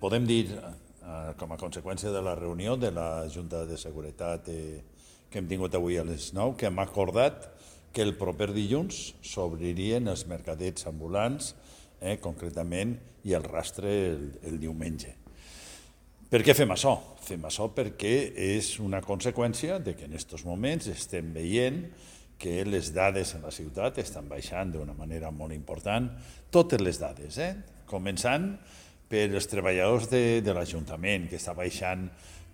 Podem dir, com a conseqüència de la reunió de la Junta de Seguretat que hem tingut avui a les 9, que hem acordat que el proper dilluns s'obririen els mercadets ambulants, concretament, i el rastre el diumenge. Per què fem això? Fem això perquè és una conseqüència de que en aquests moments estem veient que les dades en la ciutat estan baixant d'una manera molt important, totes les dades, començant per els treballadors de l'Ajuntament, que està baixant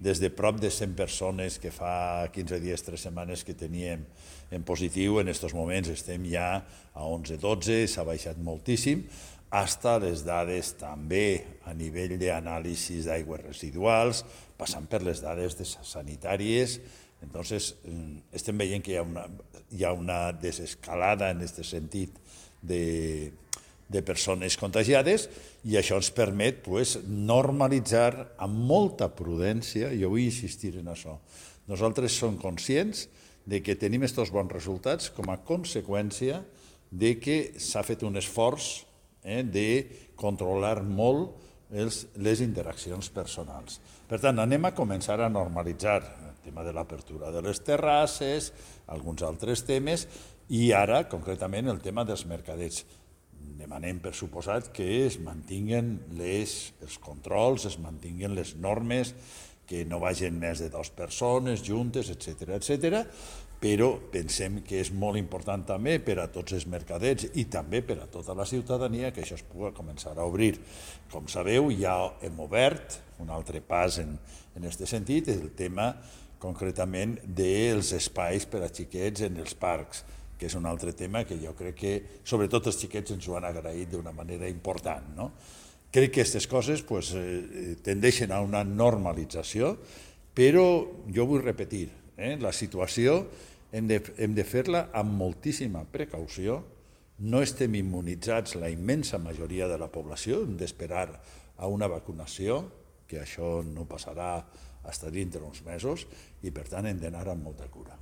des de prop de 100 persones que fa 15 dies, 3 setmanes que teníem en positiu, en aquests moments estem ja a 11-12, s'ha baixat moltíssim, fins a les dades també a nivell d'anàlisis d'aigües residuals, passant per les dades sanitàries. Entonces, estem veient que hi ha una desescalada en aquest sentit de persones contagiades i això ens permet normalitzar amb molta prudència, jo vull insistir en això. Nosaltres som conscients de que tenim aquests bons resultats com a conseqüència de que s'ha fet un esforç de controlar molt les interaccions personals. Per tant, anem a començar a normalitzar el tema de l'apertura de les terrasses, alguns altres temes, i ara, concretament, el tema dels mercadets. Demanem, per suposat, que es mantinguen els controls, es mantinguen les normes, que no vagin més de 2 persones juntes, etc. Però pensem que és molt important també per a tots els mercadets i també per a tota la ciutadania que això es pugui començar a obrir. Com sabeu, ja hem obert un altre pas en aquest sentit, el tema concretament dels espais per a xiquets en els parcs, que és un altre tema que jo crec que, sobretot els xiquets, ens ho han agraït d'una manera important. Crec que aquestes coses tendeixen a una normalització, però jo vull repetir, la situació hem de fer-la amb moltíssima precaució, no estem immunitzats la immensa majoria de la població, hem d'esperar a una vacunació, que això no passarà fins dintre uns mesos, i per tant hem d'anar amb molta cura.